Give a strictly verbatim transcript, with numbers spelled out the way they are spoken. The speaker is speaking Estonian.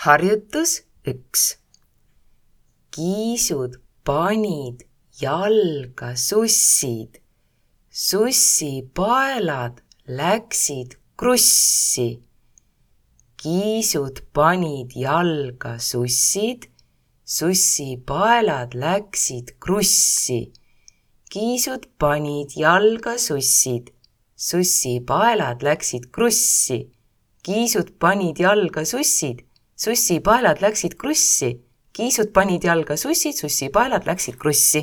Harjutus üks. Kiisud panid jalga sussid. Sussipaelad läksid krussi. Kiisud panid jalga sussid. Sussipaelad läksid krussi. Kiisud panid jalga sussid. Sussipaelad läksid krussi. Kiisud panid jalga sussid. Sussipaelad läksid krussi. Kiisud panid jalga sussid. Sussipaelad läksid krussi.